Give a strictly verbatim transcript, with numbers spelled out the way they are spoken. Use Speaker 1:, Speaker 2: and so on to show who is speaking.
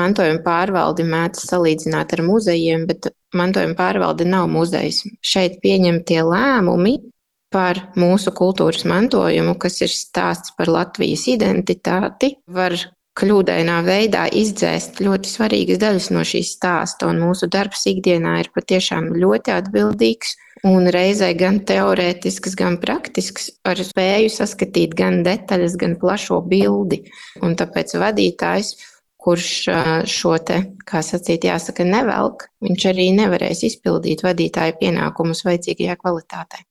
Speaker 1: mantojuma pārvaldi mēdz salīdzināt ar muzejiem, bet mantojuma pārvalde nav muzejs. Šeit pieņemtie lēmumi par mūsu kultūras mantojumu, kas ir stāsts par Latvijas identitāti, var kļūdainā veidā izdzēst ļoti svarīgas daļas no šīs stāsta, un mūsu darbs ikdienā ir patiešām ļoti atbildīgs un reizē gan teorētisks, gan praktisks, ar spēju saskatīt gan detaļas, gan plašo bildi. Un tāpēc vadītājs, kurš šo te, kā sacīt, jāsaka, nevelk, viņš arī nevarēs izpildīt vadītāja pienākumus vajadzīgajā kvalitātē.